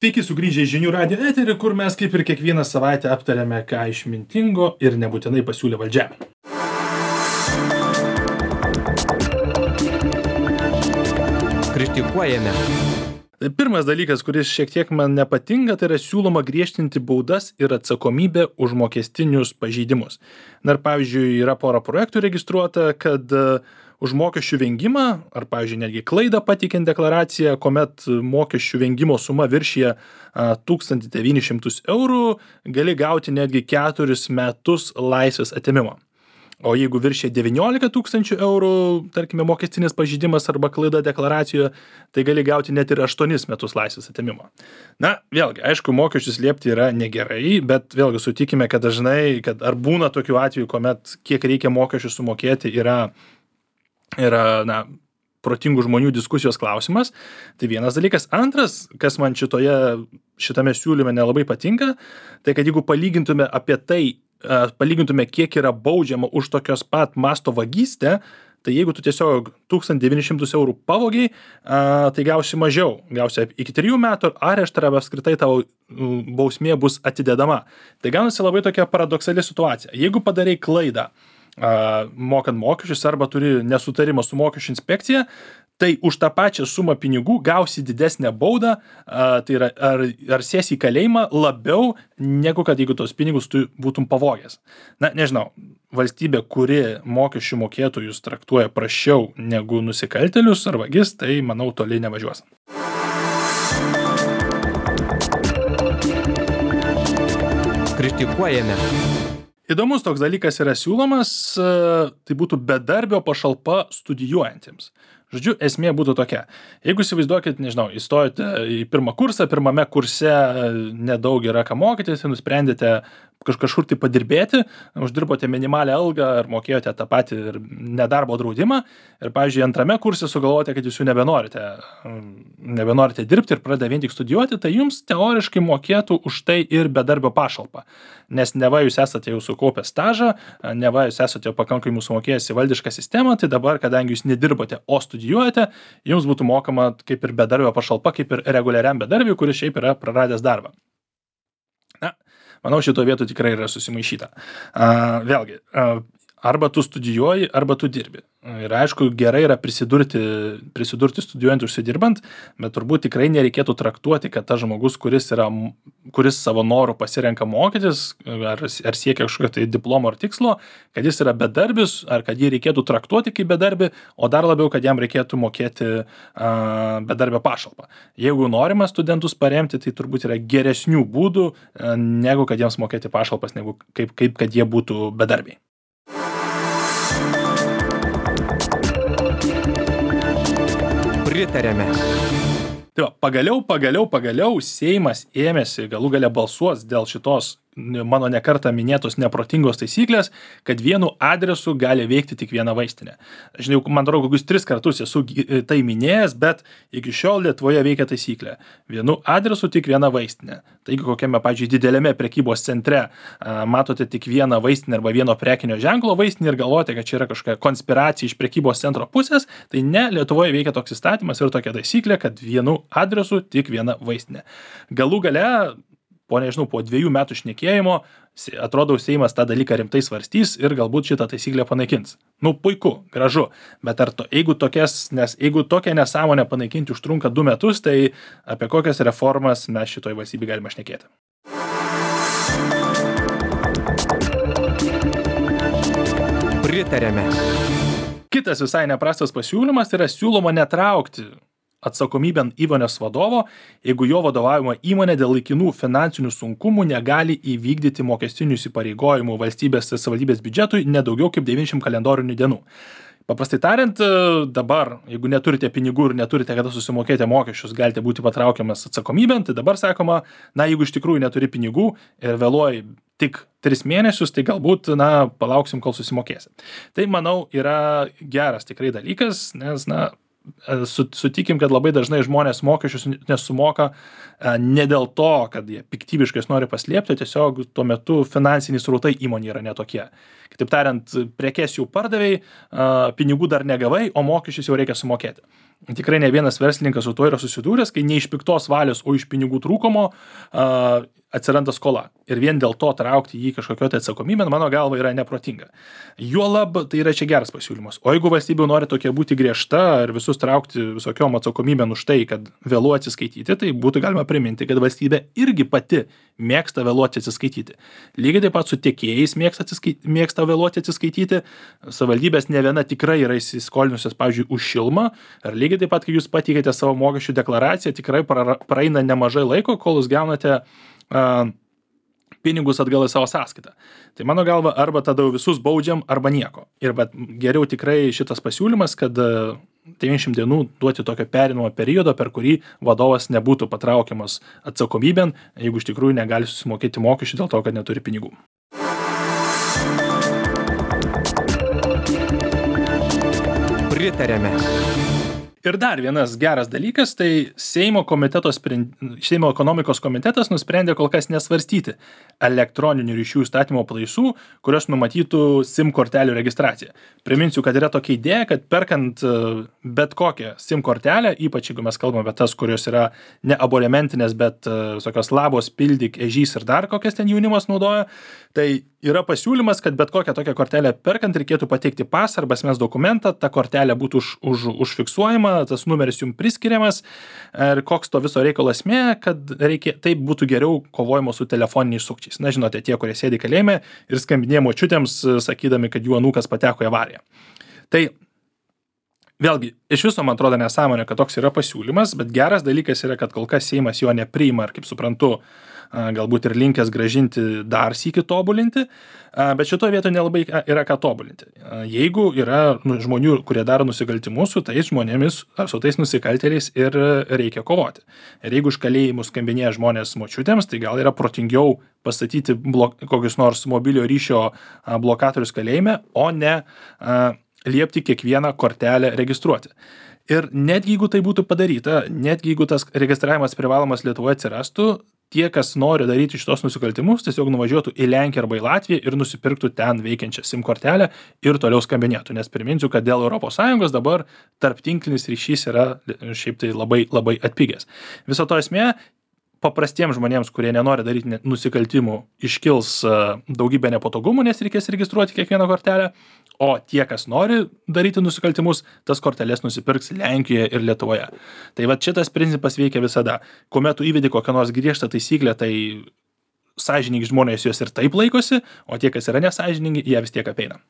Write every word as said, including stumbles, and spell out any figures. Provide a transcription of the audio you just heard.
Sveiki sugrįžę į žinių radijo eterį, kur mes kaip ir kiekvieną savaitę aptariame, ką išmintingo ir nebūtinai pasiūlė valdžia. Kritikuojame. Pirmas dalykas, kuris šiek tiek man nepatinka, tai yra siūloma griežtinti baudas ir atsakomybę už mokestinius pažeidimus. Na ir pavyzdžiui, yra pora projektų registruota, kad už mokesčių vengimą, ar pavyzdžiui, netgi klaidą pateikiant deklaraciją, kuomet mokesčių vengimo suma viršyje tūkstantį devynis šimtus eurų, gali gauti netgi keturis metus laisvės atėmimo. O jeigu viršyje devyniolika tūkstančių eurų, tarkime, mokestinis pažeidimas arba klaida deklaracijoje, tai gali gauti net ir aštuonis metus laisvės atėmimo. Na, vėlgi, aišku, mokesčius slėpti yra negerai, bet vėlgi sutikime, kad dažnai, kad ar būna tokių atvejų, kuomet kiek reikia mokesčių sumokėti yra yra, na, protingų žmonių diskusijos klausimas. Tai vienas dalykas. Antras, kas man šitoje, šitame siūlyme nelabai patinka, tai kad jeigu palygintume apie tai, palygintume, kiek yra baudžiama už tokios pat masto vagystę, tai jeigu tu tiesiog tūkstantį devynis šimtus eurų pavogiai, tai gausi mažiau. Gausi iki trijų metų areštą arba apskritai tavo bausmė bus atidedama. Tai gaunasi labai tokia paradoksali situacija. Jeigu padarai klaidą, mokant mokesčius arba turi nesutarimą su mokesčių inspekcija, tai už tą pačią sumą pinigų gausi didesnę baudą, tai yra ar, ar sėsi į kalėjimą labiau negu kad jeigu tos pinigus tu būtum pavogęs. Na, nežinau, valstybė, kuri mokesčių mokėtojus traktuoja prasčiau negu nusikaltėlius ar vagis, tai manau toli nevažiuos. Kritikuojame. Įdomus toks dalykas yra siūlomas, tai būtų bedarbio pašalpa studijuojantiems. Žodžiu, esmė būtų tokia. Jeigu įsivaizduokit, nežinau, įstojate į pirmą kursą, pirmame kurse nedaug yra ką mokytis, nusprendėte kažkur tai padirbėti, uždirbote minimalią algą ar mokėjote tą patį ir nedarbo draudimą ir, pavyzdžiui, antrame kurse sugalvojote, kad jūs jau nebenorite, nebenorite dirbti ir pradeda vien tik studijuoti, tai jums teoriškai mokėtų už tai ir bedarbio pašalpą. Nes neva jūs esate jau sukaupę stažą, neva jūs esate jau pakankamai sumokėjęs į valdišką sistemą, tai dabar, kadangi jūs nedirbote, o studijuojate, jums būtų mokama kaip ir bedarbio pašalpa, kaip ir reguliariam bedarbiui, kuris šiaip yra praradęs darbą. Na, manau, šito vietų tikrai yra susimaišyta. A, vėlgi, a, arba tu studijuoji, arba tu dirbi. Ir aišku, gerai yra prisidurti, prisidurti studijuojant užsidirbant, bet turbūt tikrai nereikėtų traktuoti, kad tas žmogus, kuris, yra, kuris savo norų pasirenka mokytis, ar, ar siekia kažkokio tai diplomo ar tikslo, kad jis yra bedarbis, ar kad jį reikėtų traktuoti kaip bedarbį, o dar labiau, kad jam reikėtų mokėti a, bedarbio pašalpą. Jeigu norima studentus paremti, tai turbūt yra geresnių būdų, a, negu kad jiems mokėti pašalpas, negu kaip, kaip kad jie būtų bedarbiai. Pritarėme. Tai va, pagaliau, pagaliau, pagaliau Seimas ėmėsi, galų gale balsuos dėl šitos mano nekartą minėtos neprotingos taisyklės, kad vienu adresu gali veikti tik viena vaistinė. Žinai, man atrodo, kokius tris kartus esu tai minėjęs, bet iki šiol Lietuvoje veikia taisyklė. Vienu adresu tik viena vaistinė. Taigi kokiame, pavyzdžiui, didelėme prekybos centre a, matote tik vieną vaistinę arba vieno prekinio ženklo vaistinę ir galvote, kad čia yra kažkokia konspiracija iš prekybos centro pusės, tai ne, Lietuvoje veikia toks įstatymas ir tokia taisyklė, kad vienu adresu tik viena vaistinė. Galų gale, po nežinau, po dviejų metų šnekėjimo, atrodo, Seimas tą dalyką rimtai svarstys ir galbūt šitą taisyklę panaikins. Nu, puiku, gražu, bet ar to, jeigu, tokias, nes, jeigu tokią nesąmonę panaikinti užtrunka du metus, tai apie kokias reformas mes šitoj valstybėje galime šnekėti. Pritarėme. Kitas visai neprastas pasiūlymas yra siūloma netraukti atsakomybėn įmonės vadovo, jeigu jo vadovaujama įmonė dėl laikinų finansinių sunkumų negali įvykdyti mokestinių įsipareigojimų valstybės ir savivaldybės biudžetui nedaugiau kaip devyniasdešimt kalendorinių dienų. Paprastai tariant, dabar, jeigu neturite pinigų ir neturite kada susimokėti mokesčius, galite būti patraukiamas atsakomybėn, tai dabar sakoma, na, jeigu iš tikrųjų neturi pinigų ir vėluoji tik tris mėnesius, tai galbūt, na, palauksim, kol susimokėsi. Tai, manau, yra geras tikrai dalykas, nes, na, e, su, sutikim, kad labai dažnai žmonės mokesčius nesumoka e, ne dėl to, kad jie piktybiškai nori paslėpti, tiesiog tuo metu finansiniai srautai įmonė yra netokie. Kitaip tariant, prekes jau pardavėjai, pinigų dar negavai, o mokesčius jau reikia sumokėti. Tikrai ne vienas verslininkas su tuo yra susidūręs, kai ne iš piktos valios, o iš pinigų trūkumo uh, atsiranda skola. Ir vien dėl to traukti jį kažkokio tai atsakomybę, mano galva, yra neprotinga. Juolab, tai yra čia geras pasiūlymas. O jeigu valstybė nori tokia būti griežta ir visus traukti visokiom atsakomybėm už tai, kad vėluoja atsiskaityti, tai būtų galima priminti, kad valstybė irgi pati mėgsta vėluoti atsiskaityti. Lygiai taip pat su tiekėjais mėgsta, atsiskait... mėgsta vėluoti atsiskaityti. Savivaldybės ne viena tikrai yra įsiskolinusios, pavyzdžiui, už šilumą. Ir lygiai taip pat, kai jūs pateikėte savo mokesčių deklaraciją, tikrai praeina nemažai laiko, kol jūs gaunate uh, pinigus atgal į savo sąskaitą. Tai mano galva, arba tada visus baudžiam, arba nieko. Ir bet geriau tikrai šitas pasiūlymas, kad devyniasdešimt dienų duoti tokio perinamo periodo, per kurį vadovas nebūtų patraukiamas atsakomybėn, jeigu iš tikrųjų negali susimokėti mokesčių dėl to, kad neturi pinigų. Pritarėme. Ir dar vienas geras dalykas, tai Seimo, sprend... Seimo ekonomikos komitetas nusprendė kol kas nesvarstyti elektroninių ryšių įstatymo pataisų, kurios numatytų SIM kortelių registraciją. Priminsiu, kad yra tokia idėja, kad perkant bet kokią SIM kortelę, ypač jeigu mes kalbame apie tas, kurios yra ne abonementinės, bet tokios labos, pildyk, ežys ir dar kokias ten jaunimas naudoja, tai yra pasiūlymas, kad bet kokią tokią kortelę perkant reikėtų pateikti pasą arba asmens dokumentą, ta kortelė būtų už, už, užfiksuojama, tas numeris jums priskiriamas ir koks to viso reikalo esmė, kad reikia, taip būtų geriau kovojimo su telefoniniais sukčiais. Na, žinote, tie, kurie sėdi kalėjime ir skambinėja močiutėms, sakydami, kad jų anūkas pateko į avariją. Tai vėlgi, iš viso man atrodo nesąmonė, kad toks yra pasiūlymas, bet geras dalykas yra, kad kol kas Seimas jo nepriima ir, kaip suprantu, galbūt ir linkęs gražinti dar sykį tobulinti, bet šitoje vietoje nelabai yra ką tobulinti. Jeigu yra žmonių, kurie daro nusikaltimus, su tais žmonėmis ar su tais nusikaltėliais ir reikia kovoti. Ir jeigu iš kalėjimų skambinėja žmonės močiutėms, tai gal yra protingiau pastatyti blok, kokius nors mobilio ryšio blokatorius kalėjime, o ne a, liepti kiekvieną kortelę registruoti. Ir netgi jeigu tai būtų padaryta, netgi jeigu tas registravimas privalomas Lietuvoje atsirastų, tie, kas nori daryti šitos nusikaltimus, tiesiog nuvažiuotų į Lenkiją arba į Latviją ir nusipirktų ten veikiančią SIM kortelę ir toliau skambinėtų. Nes priminsiu, kad dėl Europos Sąjungos dabar tarptinklinis ryšys yra šiaip tai labai, labai atpigęs. Viso to esmė, paprastiems žmonėms, kurie nenori daryti nusikaltimų, iškils daugybė nepatogumų, nes reikės registruoti kiekvieną kortelę, o tie, kas nori daryti nusikaltimus, tas korteles nusipirks Lenkijoje ir Lietuvoje. Tai va šitas principas veikia visada. Kuomet tu įvedi kokią nors griežtą taisyklę, tai sąžiningi žmonės jos ir taip laikosi, o tie, kas yra nesąžiningi, jie vis tiek apeina.